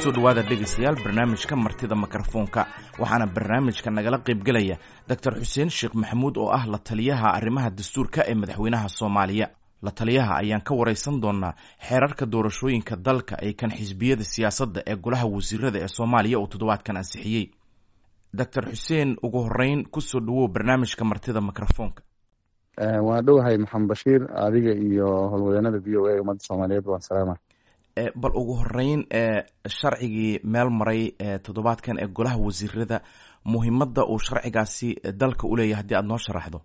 Kusoo dhawaada dhegaystayaal barnaamijka Martida Mikrofoonka. Waxaana barnaamijka nagala qaybgelaya Doctor Xuseen Sheekh Maxamuud oo ah la taliyaha arrimaha dastuurka ee madaxweynaha Soomaaliya. La taliyaha ayaan ka wareysan doonaa xeerarka doorashooyinka dalka ee kan xisbiyada siyaasadda ee golaha wasiirada ee Soomaaliya uu toddobaadkan ansixiyey. Doctor Xuseen, ugu horeyn kusoo dhawow barnaamijka Martida Mikrofoonka. Waa dhowahay Maxamed Bashiir, adiga iyo howlwadeenada VOA, ummadda Soomaaliyeed waan salaama. Bal ugu horeyn, sharcigii meel maray toddobaadkan ee golaha wasiirada, muhiimadda uu sharcigaasi dalka uleeyahay haddii aad noo sharaxdo.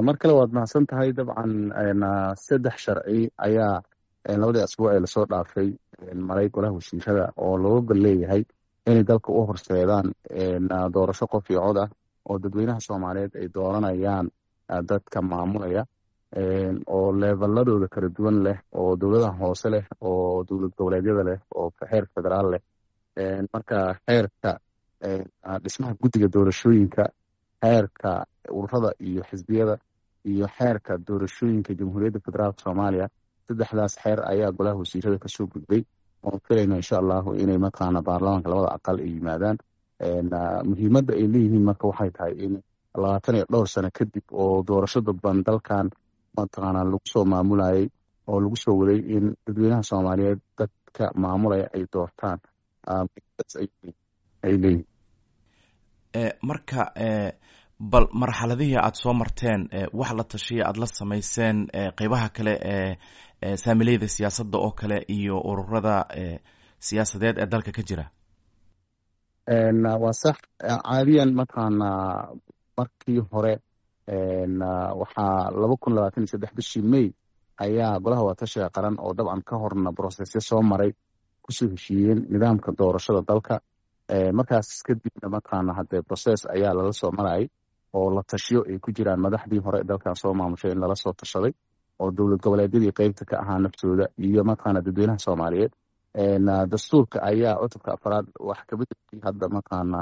Mar kale waad mahadsan tahay. Dabcan saddex sharci ayaa labadii asbuuc ee lasoo dhaafay maray golaha wasiirada oo looga gol leeyahay inay dalka u horseedaan doorasho qof iyo cod ah oo dadweynaha Soomaaliyeed ay dooranayaan dadka maamulaya, oo leevaladooda kala duwan leh, oo dowladaha hoose leh, oo dowlad goboleedyada leh, oo xeer federaal leh. Marka xeerka dhismaha guddiga doorashooyinka, xeerka ururada iyo xisbiyada, iyo xeerka doorashooyinka Jamhuuriyadda Federaalka Soomaaliya, saddexdaas xeer ayaa golaha wasiirada kasoo gudbay oon filayno insha Allahu inay mataqaana baarlamaanka labada aqal ay yimaadaan. Muhiimadda ay leeyihiin marka waxay tahay in 20 iyo dhowr sano kadib oo doorasho dadban dalkan mataqaana lagu soo maamulayay oo lagu soo waday, in dadweynaha Soomaaliyeed dadka maamulaya ay doortaan ay leeyihiin. Marka bal marxaladihii aada soo marteen, wax la tashiya aada la samayseen qeybaha kale ee saamileyda siyaasadda oo kale iyo ururada siyaasadeed ee dalka ka jira. Waa sax. Caadiyan mataqaana markii hore waxaa 2023 bishii May ayaa golaha wadatashiga qaran, oo dabcan ka horna processyo soo maray, kusoo heshiiyeen nidaamka doorashada dalka. Markaas kadibna mataqaana haddee process ayaa lala soo marayay oo la tashiyo ay ku jiraan madaxdii hore dalkan soo maamushay in lala soo tashaday, oo dowlad goboleedyadii qeybta ka ahaa naftooda iyo mataqaana dadweynaha Soomaaliyeed. Dastuurka ayaa cutubka afraad wax kabedelkii hadda mataqaana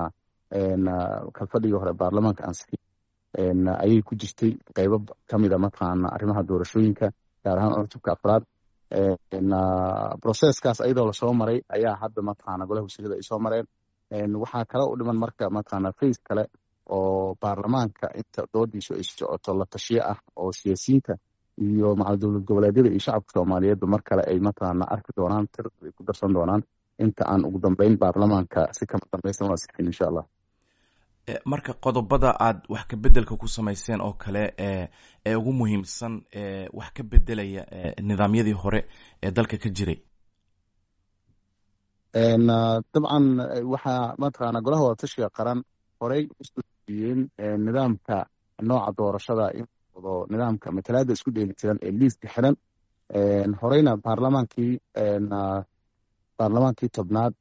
kalfadhigii hore baarlamaanka ansixiyay ayay ku jirtay qeybo kamida mataqaana arrimaha doorashooyinka, gaar ahaan cutubka afraad. Processkaas ayadoo lasoo maray ayaa hadda mataqaana golaha wasiirada ay soo mareen. Waxaa kale u dhiman marka mataqaana phase kale oo baarlamaanka inta doodiisu ay socoto la tashiyo ah, oo siyaasiyiinta iyo macal dowlad goboleedyada iyo shacabka Soomaaliyeedba mar kale ay mataqaana arki doonaan, tiradooda ay ku darsan doonaan inta aan ugu dambeyn baarlamaanka si kama dambaysan u ansixin insha Allah. Marka qodobada aad wax ka bedelka ku samayseen oo kale ee ugu muhiimsan ee wax ka bedelaya nidaamyadii hore ee dalka ka jiray. Dabcan waxaa mataqaana golaha wadatashiga qaran horey usoo heshiiyeen nidaamka nooca doorashada in wado nidaamka matalaada isku dheelitiran ee liiska xiran. Horeyna baarlamaankii 10aad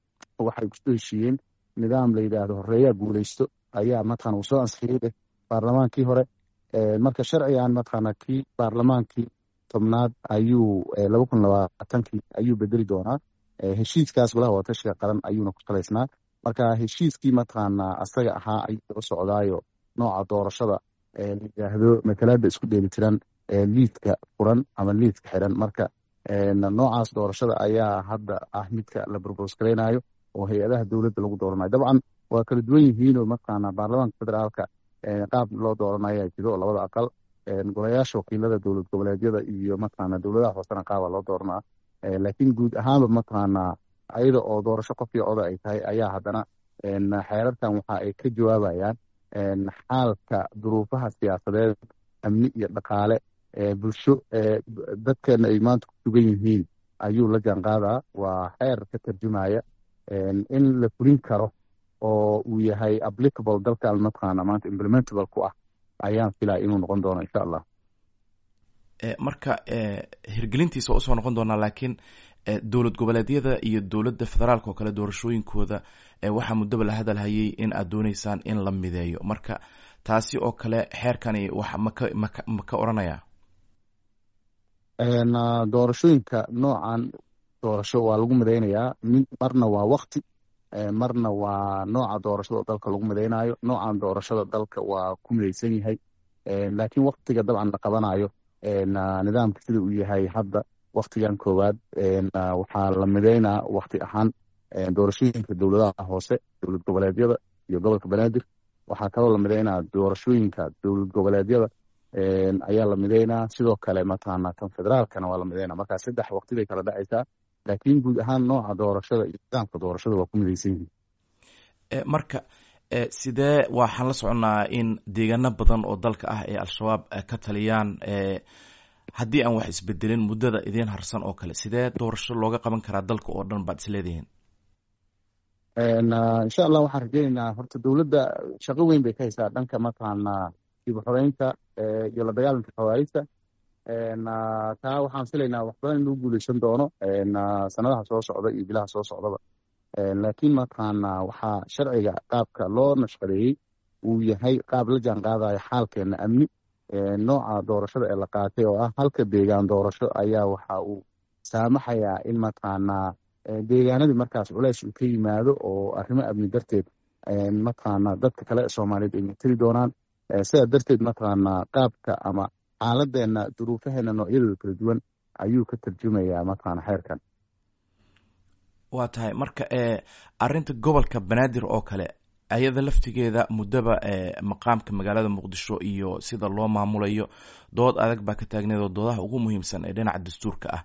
waxay kusoo heshiiyeen nidaam la yidhaahdo horeeyaa guuleysto ayaa mataqana uu soo ansixiyey baarlamaankii hore. Marka sharcigan mataqaana kii baarlamaankii 10aad ayuu 2020kii ayuu bedeli doonaa. Heshiiskaas golaha wadatashiga qaran ayuuna ku salaysnaa. Marka heshiiskii mataqaana asaga ahaa ayuu daba socdaayo nooca doorashada la yidhaahdo matalaada isku dheelitiran ee liidka furan ama liidka xiran. Marka noocaas doorashada ayaa hadda ah midka la propose garaynayo oo hay-adaha dowladda lagu dooranayo. Dabcan waa kala duwan yihiinoo mataqaana baarlamaanka federaalka qaab loo dooranaya jiro oo labada aqal, golayaasha wakiilada dowlad goboleedyada iyo mataqaana dowladaha hoosena qaaba loo dooranaa. Laakiin guud ahaanba mataqaana ayada oo doorasho qof iyo coda ay tahay ayaa haddana xeerarkan waxa ay ka jawaabayaan xaalka duruufaha siyaasadeed, amni iyo dhaqaale, bulsho dadkeena ay maanta ku sugan yihiin ayuu la jaanqaadaa. Waa xeer ka tarjumaya in la fulin karo oo uu yahay applicable dalkan mataqaana maanta implementable ku ah ayaan filaya inuu noqon doono insha Allah. Marka hirgelintiisa waa usoo noqon doonaa, laakiin dowlad goboleedyada iyo dowladda federaalka oo kale doorashooyinkooda waxaa muddaba la hadalhayay in aad dooneysaan in la mideeyo. Marka taasi oo kale xeerkani wax maka odhanaya? Doorashooyinka noocan doorasho waa lagu mideynayaa. Marna waa wakti, marna waa nooca doorashada dalka lagu mideynayo. Noocan doorashada dalka waa ku mideysan yahay, laakiin waktiga dabcan la qabanayo nidaamka sida uu yahay hadda Waktigan koowaad waxaa la mideynaa wakti ahaan doorashooyinka dowladaha hoose, dowlad goboleedyada iyo gobolka Banaadir. Waxaa kaloo la mideynaa doorashooyinka dowlad goboleedyada ayaa la mideynaa, sidoo kale mataqaanaa tan federaalkana waa la mideynaa. Marka 3 waqti bay kala dhacaysaa, laakiin guud ahaan nooca doorashada iyo nidaamka doorashada waa ku midaysan yihiin. Marka sidee waxaan la soconnaa in deegaano badan oo dalka ah ee Al-Shabaab ka taliyaan, haddii aan wax isbedelin muddada idiin harsan oo kale, sidee doorasho looga qaban karaa dalka oo dhan baad isleedihiin? Insha Allah waxaan rajeyneynaa, horta dowladda shaqo weyn bay ka haysaa dhanka mataqaanaa dib u xoreynta iyo la dagaalanka khawaarijta. Taa waxaan filaynaa wax badan in lagu guuleysan doono sanadaha soo socda iyo bilaha soo socdaba, laakiin mataqaanaa waxaa sharciga qaabka loo nashqadeeyey uu yahay qaab la jaan qaadayo xaalkeena amni. Nooca doorashada ee la qaatay oo ah halka deegaan doorasho ayaa waxa uu saamaxayaa in mataqaanaa deegaanadii markaas culeys uu ka yimaado oo arrimo amni darteed mataqaanaa dadka kale Soomaaliyeed ay mateli doonaan. Sidaa darteed mataqaanaa qaabka ama xaaladeena, duruufaheena noocyadooda kala duwan ayuu ka tarjumayaa mataqaana xeerkan. Waa tahay. Marka arrinta gobolka Banaadir oo kale, ayada laftigeeda muddaba maqaamka magaalada Muqdisho iyo sida loo maamulayo dood adag baa ka taagneed oo doodaha ugu muhiimsan ee dhinaca dastuurka ah.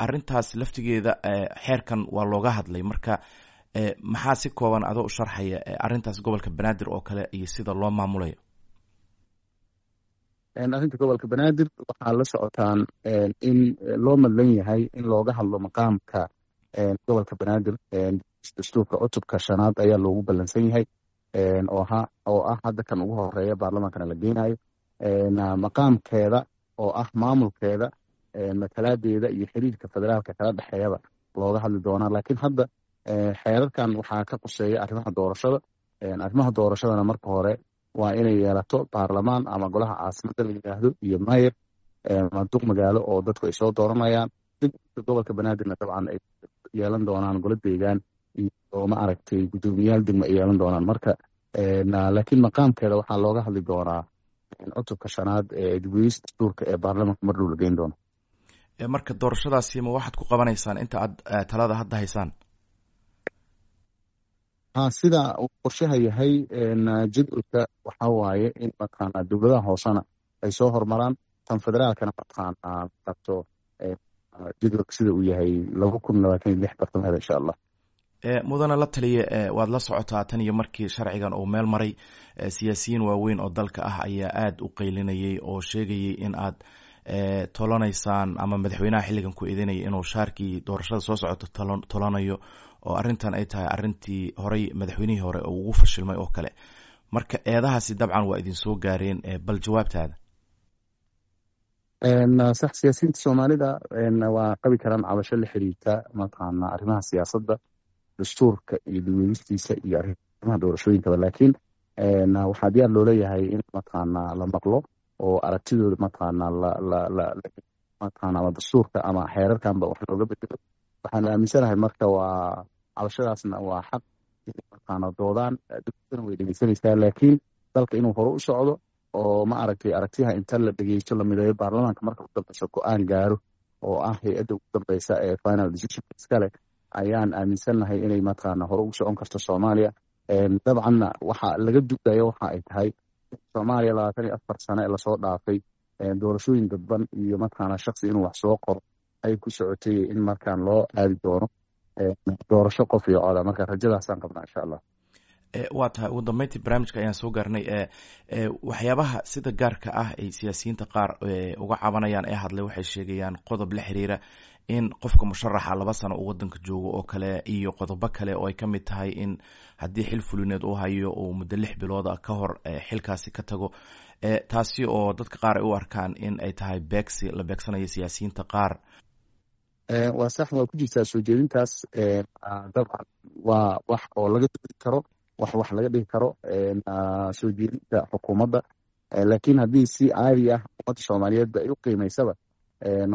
Arrintaas laftigeeda xeerkan waa looga hadlay. Marka maxaa si kooban adoo u sharxaya arrintaas gobolka Banaadir oo kale iyo sida loo maamulayo? Arrinta gobolka Banaadir waxaa la socotaan in loo madlan yahay in looga hadlo maqaamka gobolka Banaadir. Dastuurka cutubka shanaad ayaa loogu ballansan yahay oo ah hadda kan ugu horeeya baarlamaankana la geynayo, maqaamkeeda oo ah maamulkeeda, matalaadeeda iyo xiriirka federaalka kala dhexeeyaba looga hadli doonaa. Laakiin hadda xeerarkan waxaa ka quseeya arrimaha doorashada. Arrimaha doorashadana marka hore waa inay yeelato baarlamaan ama golaha caasimadda la yidhaahdo iyo mayor ama duq magaalo oo dadku ay soo dooranayaan. Gobolka Banaadirna dabcan ay yeelan doonaan golo deegaan iyo ma aragtay guddoomiyaal degmo ay yeelan doonaan. Marka laakiin maqaamkeeda waxaa looga hadli doonaa cutubka shanaad ee dib-u-eegista dastuurka ee baarlamaanka mar dhow la geyn doono. Marka doorashadaasi ma waxaad ku qabanaysaan inta aad talada hadda haysaan? Ha, sida uu qorshaha yahay jadwalka waxaa waaye in mataqaanaa dowladaha hoosena ay soo hormaraan, tan federaalkana mataqaanaa qabto jadwalka sida uu yahay 2026 bartamaheeda, insha Allah. Mudana la taliye, waad la socotaa tan iyo markii sharcigan uu meel maray, siyaasiyiin waaweyn oo dalka ah ayaa aada u qaylinayay oo sheegayay in aad tolanaysaan ama madaxweynaha xilligan ku eedeynaya inuu shaarkii doorashada soo socoto tolanayo, oo arrintan ay tahay arrintii horey madaxweynihii hore oo ugu fashilmay oo kale. Marka eedahaasi dabcan waa idin soo gaareen, bal jawaabtaada. Sax, siyaasiyiinta Soomaalida waa qabi karaan cabasho la xiriirta mataqaanaa arrimaha siyaasadda, dastuurka iyo dib-u-eegistiisa iyo arrimaha doorashooyinkaba, laakiin waxaa diyaar loo leeyahay in mataqaanaa la maqlo oo aragtidooda mataqaanaa la mataqaanaa ama dastuurka ama xeerarkanba wax looga bedelo. Waxaan aaminsanahay marka waa cabashadaasna waa xaq inay mataqaanaa doodaan, dowladdana way dhegeysanaysaa, laakiin dalka inuu hore u socdo oo ma aragtay aragtiyaha inta la dhegeysto la mideeyo, baarlamaanka marka u dambeysa go-aan gaaro oo ah hay-adda ugu dambeysa ee final decision iskale, ayaan aaminsannahay inay mataqaanaa hore ugu socon karto Soomaaliya. Dabcanna waxa laga dugayo waxa ay tahay Soomaaliya 24 sano ee lasoo dhaafay doorashooyin dadban iyo mataqaanaa shaksi inuu wax soo qoro ay ku socotay, in markaan loo aadi doono doorasho qof iyo coda. Marka rajadaasaan qabnaa, insha Allah. Waa tahay. Ugu dambeyntii barnaamijka ayaan soo gaarnay. Waxyaabaha sida gaarka ah ay siyaasiyiinta qaar uga cabanayaan ee hadlay waxay sheegayaan qodob la xiriira in qofka musharaxa 2 sano uu wadanka joogo oo kale, iyo qodobo kale oo ay ka mid tahay in haddii xil fulineed uu hayo uu muddo 6 bilooda ka hor xilkaasi ka tago, taasi oo dadka qaar ay u arkaan in ay tahay beegsi la beegsanayo siyaasiyiinta qaar. Waa sax, waa ku jirtaa soo jeedintaas. Dabcan waa wax oo laga doodi karo, wax laga dhigi karo soo jeedinta xukuumadda, laakiin haddii si caadi ah ummadda Soomaaliyeedba ay u qiimaysaba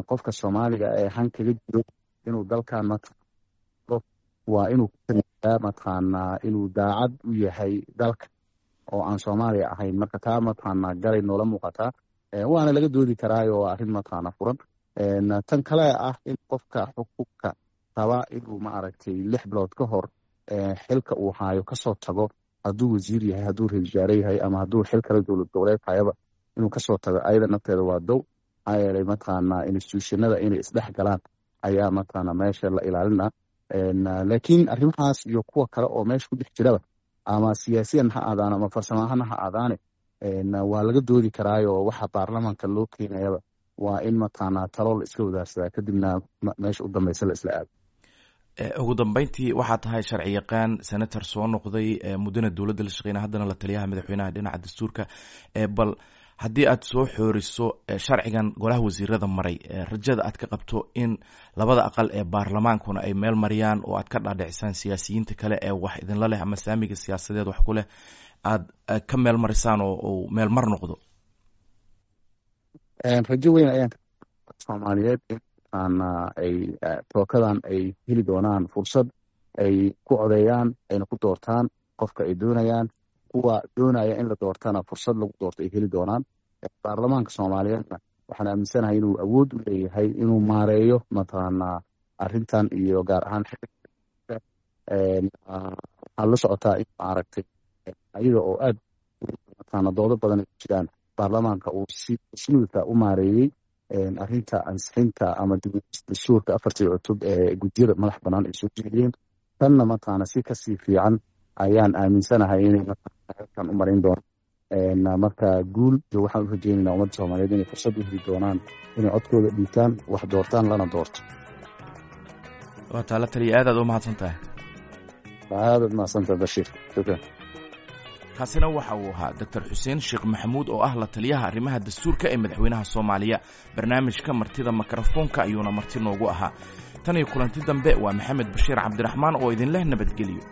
qofka Soomaaliga ee han kaga jiro inuu dalkan waa inuu mataqaanaa inuu daacad u yahay dalka oo aan Soomaaliya ahayn. Marka taa mataqaanaa galay noola muuqataa, waana laga doodi karaayo, waa arrin mataqaanaa furan. Tan kale ah in qofka xukunka raba inuu maaragtay 6 bilood ka hor xilka uu haayo kasoo tago, hadduu wasiir yahay, hadduu ra-isul wasaare yahay ama hadduu xil kale dowlad goboleed hayaba inuu kasoo tago, ayada nafteeda waa dow. Maxaa yeelay mataqaanaa institutionada inay isdhex galaan ayaa mataqaanaa meesha la ilaalina. Laakiin arrimahaas iyo kuwa kale oo meesha ku dhex jiraba, ama siyaasiyan ha aadaan ama farsamo ahaan ha aadaane, waa laga doodi karaayo. Waxa baarlamaanka loo keenayaba waa in mataqaanaa talo la iska wadaarsadaa, kadibna meesha u dambeysa la isla aado. Ugu dambeyntii, waxaa tahay sharci yaqaan, senator soo noqday, muddana dowladda la shaqeynaya, haddana la taliyaha madaxweynaha dhinaca dastuurka. Bal haddii aad soo xooriso sharcigan golaha wasiirada maray, rajada aad ka qabto in labada aqal ee baarlamaankuna ay meel mariyaan oo aad ka dhaadhicisaan siyaasiyiinta kale ee wax idinla leh ama saamiga siyaasadeed wax ku leh, aad ka meel marisaan oo uu meel mar noqdo. Rajo weyn ayaan Soomaaliyeed in ay tookadan ay heli doonaan fursad ay ku codeeyaan ayna ku doortaan qofka ay doonayaan, kuwa doonaya in la doortana fursad lagu doorto ay heli doonaan. Baarlamaanka Soomaaliyeedna waxaan aaminsanahay inuu awood u leeyahay inuu maareeyo mataqaanaa arrintan iyo gaar ahaan waxaad la socotaa in maaragtay ayaga oo aad mataqaana doodo badan ay ku jiraan, baarlamaanka uu si smooth u maareeyey arrinta ansixinta ama dastuurka afartii cutub ee guddiyada madax bannaan ay soo jeediyeen. Tanna mataqaana si kasii fiican ayaan aaminsanahay inay halkan u marin doonaan. Marka guul waxaan u rajeynaynaa ummadda Soomaaliyeed inay fursad u heli doonaan inay codkooda dhiibtaan, wax doortaan, lana doorto. Waa taa la taliya, aad aad u mahadsan tahay. Aadaad mahadsantahay, Bashiir, shukran. Kaasina waxa uu ahaa Doctor Xuseen Sheekh Maxamuud oo ah la taliyaha arrimaha dastuurka ee madaxweynaha Soomaaliya. Barnaamijka martida mikrofoonka ayuuna marti noogu ahaa. Tan iyo kulanti dambe, waa Maxamed Bashiir Cabdiraxmaan oo idinleh nabadgeliyo.